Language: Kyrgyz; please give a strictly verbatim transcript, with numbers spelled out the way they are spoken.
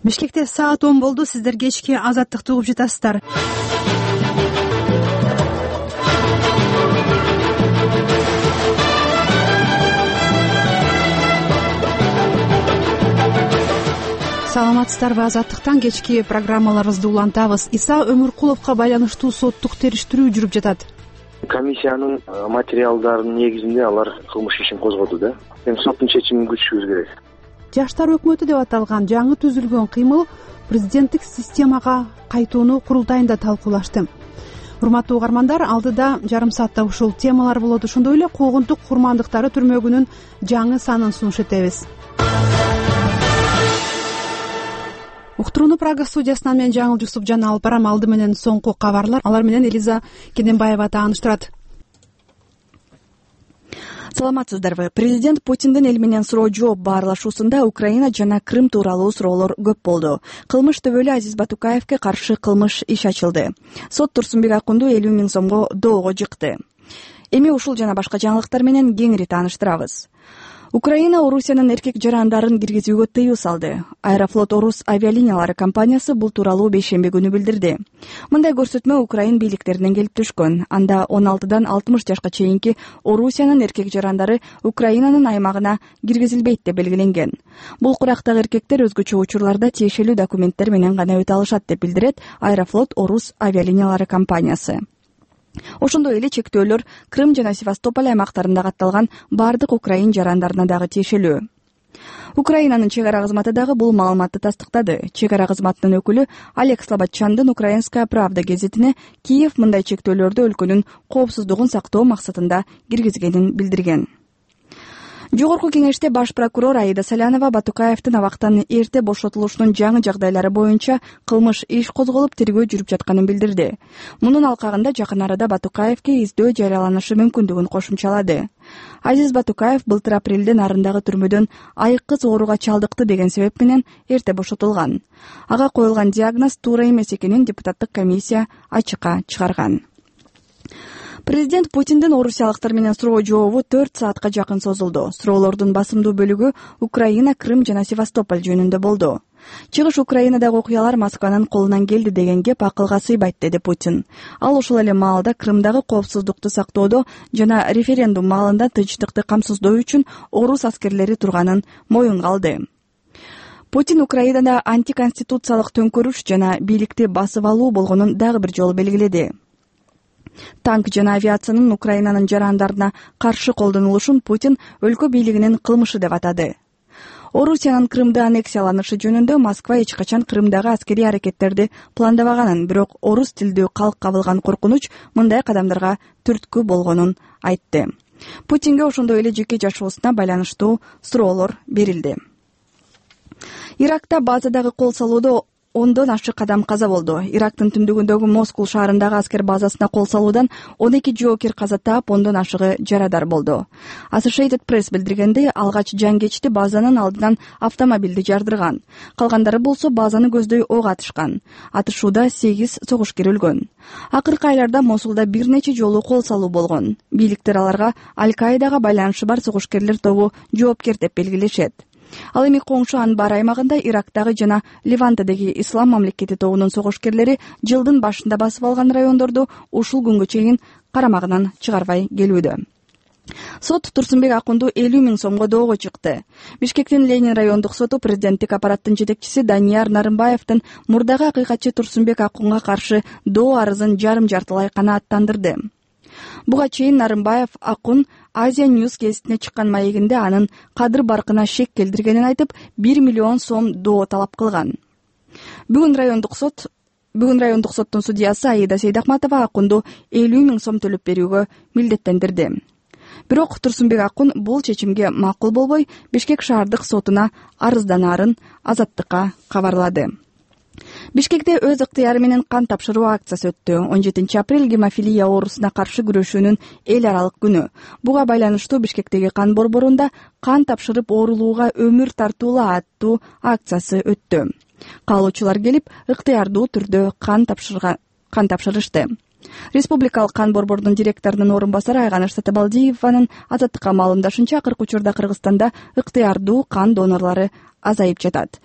Бишкекте саат он болду. Сиздер кечки Азаттыкты угуп жатасыздар. Саламатсыздарбы? Азаттыктан кечки программаларыбызды улантабыз. Иса Өмүркуловго байланыштуу соттук териштирүү жүрүп жатат. Комиссиянын материалдарынын негизинде алар кылмыш ишин козгоду да. Эми соттун чечимин күтүшүбүз керек. Жаштар өкмөтү деп аталган жаңы түзүлгөн кыймыл президенттик системага кайтууну курултайында талкуулашты. Урматтуу угармандар, алдыда жарым саатта ушул темалар болот. Ошондой эле куугунтук курмандыктары түрмөгүнүн жаңы санын сунуш этебиз. Уктурууну Прага студиясынан мен Жаңыл Жусупжан алып барам. Алды менен соңку кабарлар, алар менен Элиза Кененбаева тааныштырат. Саламатсыздарбы? Президент Путиндин эл менен суроо жооп баарлашуусунда Украина жана Крым тууралуу суроолор көп болду. Кылмыш төбөлү Азиз Батукаевке каршы кылмыш иш ачылды. Сот Турсунбек Акунду элүү миң сомго доого жыкты. Эми ушул жана башка жаңылыктар менен кеңири тааныштырабыз. Украина Орусиянын эркек жарандарын киргизүүгө тыюу салды. Аэрофлот Орус авиалиниялары компаниясы бул тууралуу бейшемби күнү билдирди. Мындай көрсөтмө Украин бийликтеринен келип түшкөн. Анда он алтыдан алтымыш жашка чейинки Орусиянын эркек жарандары Украинанын аймагына киргизилбейт деп белгиленген. Бул курактагы эркектер өзгөчө учурларда тиешелүү документтер менен гана өтө алышат деп билдирет Аэрофлот Орус авиалиниялары компаниясы. Ошондой эле чектөөлөр Крым жана Севастополь аймактарында катталган бардык украин жарандарына дагы тиешелүү. Украинанын чек ара кызматы дагы бул маалыматты тастыктады. Чек ара кызматынын өкүлү Олег Слободчандын Украинская правда гезитине Киев мындай чектөөлөрдү өлкөнүн коопсуздугун сактоо максатында киргизгенин билдирген. Жогорку кеңеште баш прокурор Аида Салянова Батукаевдин абактан эрте бошотулушунун жаңы жагдайлары боюнча кылмыш иш козголуп тергөө жүрүп жатканын билдирди. Мунун алкагында жакын арада Батукаевке издөө жарыяланышы мүмкүндүгүн кошумчалады. Азиз Батукаев былтыр апрелден нарындагы түрмөдөн айыккыс ооруга чалдыкты деген себеп менен эрте бошотулган. Ага коюлган диагноз туура эмес экенин депутаттык комиссия ачыкка чыгарган. Президент Путиндин орусиялыктар менен суроо жообу төрт саатка жакын созулду. Суроолордун басымдуу бөлүгү Украина, Крым жана Севастополь жөнүндө болду. Чыгыш Украинадагы окуялар Москванын колунан келди деген кеп акылга сыйбайт, деди Путин. Ал ошол эле маалда Крымдагы коопсуздукту сактоодо жана референдум маалында тынчтыкты камсыздоо үчүн орус аскерлери турганын моюнга алды. Путин Украинада антиконституциялык төңкөрүш жана бийликти басып алуу болгонун дагы бир жолу белгиледи. Танк жана авиациянын Украинанын жарандарына каршы колдонулушун Путин өлкө бийлигинин кылмышы деп атады. Орусиянын Крымды аннексияланышы жөнүндө Москва эч качан Крымдагы аскерий аракеттерди пландабаганын, бирок орус тилдүү калк кабылган коркунуч мындай кадамдарга түрткү болгонун айтты. Путинге ошондой эле жеке жашоосуна байланыштуу суроолор берилди. Иракта базадагы кол салуудо ондон ашык адам каза болду. Ирактын түндүгүндөгү Москул шаарындагы аскер базасына кол салуудан он эки жоокер каза таап, ондон ашыгы жарадар болду. Associated Press билдиргендей, алгач жангечти базанын алдынан автомобилди жардырган. Калгандары болсо базаны көздөй ок атышкан. Атышууда сегиз согушкер өлгөн. Акыркы айларда Мосулда бир нече жолу кол салуу болгон. Бийликтер аларга Аль-Каидага байланышы бар согушкерлер тобу жоопкер деп белгилешет. Ал эми коңшу Анбар аймагында Ирактагы жана Левантадагы Ислам мамлекети тобунун согушкерлери жылдын башында басып алган райондорду ушул күнгө чейин карамагынан чыгарбай келүүдө. Сот Турсунбек Акунду элүү миң сомго доого чыкты. Бишкектин Ленин райондук соту президенттик аппараттын жетекчиси Данияр Нарымбаевдин мурдагы акыйкатчы Турсунбек Акунга каршы доо арызын жарым жартылай канааттандырды. Буга чейин Нарымбаев Акун Азия Ньюс гезитине чыккан маегинде анын кадыр баркына шек келтиргенин айтып, бир миллион сом доо талап кылган. Бүгүн райондук сот Бүгүн райондук соттун судьясы Аида Сейдахматова Акунду элүү миң сом төлөп берүүгө милдеттендирди. Бирок Турсунбек Акун бул чечимге макул болбой, Бишкек шаардык сотуна арызданаарын Азаттыкка кабарлады. Бишкекте өз ыктыяры менен кан тапшыруу акциясы өттү. он жетинчи апрель гемофилия оорусуна каршы күрөшүүнүн эл аралык күнү. Буга байланыштуу Бишкектеги кан борборунда кан тапшырып оорулууга өмүр тартуула аттуу акциясы өттү. Каалоочулар келип, ыктыярдуу түрдө кан тапшырга кан тапшырышты. Республикалык кан борборунун директорунун орун басары Айганыш Сатыбалдиеванын Азаттыкка маалымдашынча, акыркы учурда Кыргызстанда ыктыярдуу кан донорлору азайып жатат.